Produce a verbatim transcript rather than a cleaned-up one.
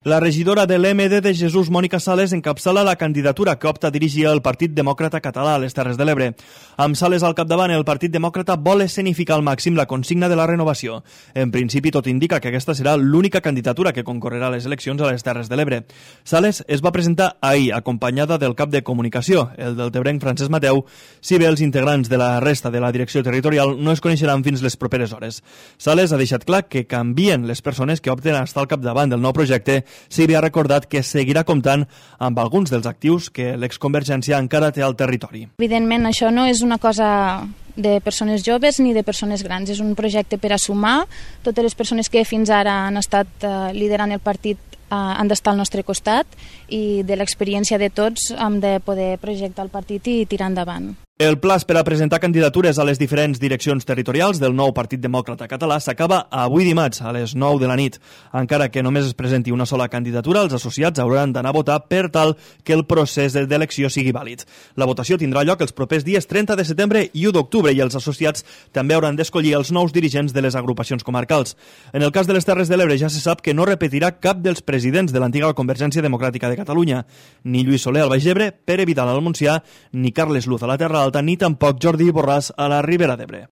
La regidora de l'M D de Jesús, Mònica Sales, encapçala la candidatura que opta a dirigir el Partit Demòcrata Català a les Terres de l'Ebre. Amb Sales al capdavant, el Partit Demòcrata vol escenificar al màxim la consigna de la renovació. En principi, tot indica que aquesta serà l'única candidatura que concorrerà a les eleccions a les Terres de l'Ebre. Sales es va presentar ahir, acompanyada del cap de comunicació, el deltebrenc Francesc Mateu, si bé els integrants de la resta de la direcció territorial no es coneixeran fins les properes hores. Sales ha deixat clar que canvien les persones que opten a estar al capdavant del nou projecte, si bé ha recordat que seguirà comptant amb alguns dels actius que l'exconvergència encara té al territori. Evidentment, això no és una cosa de persones joves ni de persones grans. És un projecte per a sumar. Totes les persones que fins ara han estat eh, liderant el partit eh, han d'estar al nostre costat i de l'experiència de tots hem de poder projectar el partit i tirar endavant. El plaç per a presentar candidatures a les diferents direccions territorials del nou Partit Demòcrata Català s'acaba avui dimarts a les nou de la nit. Encara que només es presenti una sola candidatura, els associats hauran d'anar a votar per tal que el procés d'elecció sigui vàlid. La votació tindrà lloc els propers dies trenta de setembre i u d'octubre i els associats també hauran d'escollir els nous dirigents de les agrupacions comarcals. En el cas de les Terres de l'Ebre ja se sap que no repetirà cap dels presidents de l'antiga Convergència Democràtica de Catalunya, ni Lluís Soler al Baix Ebre, Pere Vidal al Montsià, ni Carles Luz a la Terra Alta, ni tampoc Jordi Borràs a la Ribera d'Ebre.